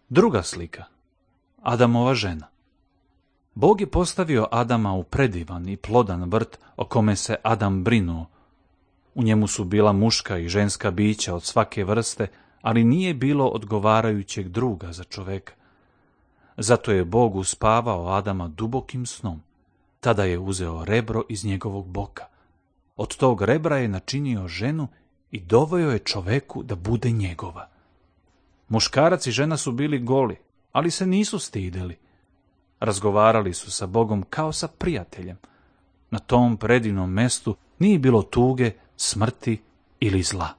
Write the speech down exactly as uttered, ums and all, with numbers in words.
Druga slika. Adamova žena. Bog je postavio Adama u predivan i plodan vrt o kome se Adam brinuo. U njemu su bila muška i ženska bića od svake vrste, ali nije bilo odgovarajućeg druga za čoveka. Zato je Bog uspavao Adama dubokim snom. Tada je uzeo rebro iz njegovog boka. Od tog rebra je načinio ženu i doveo je čoveku da bude njegova. Muškarac i žena su bili goli, ali se nisu stideli. Razgovarali su sa Bogom kao sa prijateljem. Na tom predivnom mestu nije bilo tuge, smrti ili zla.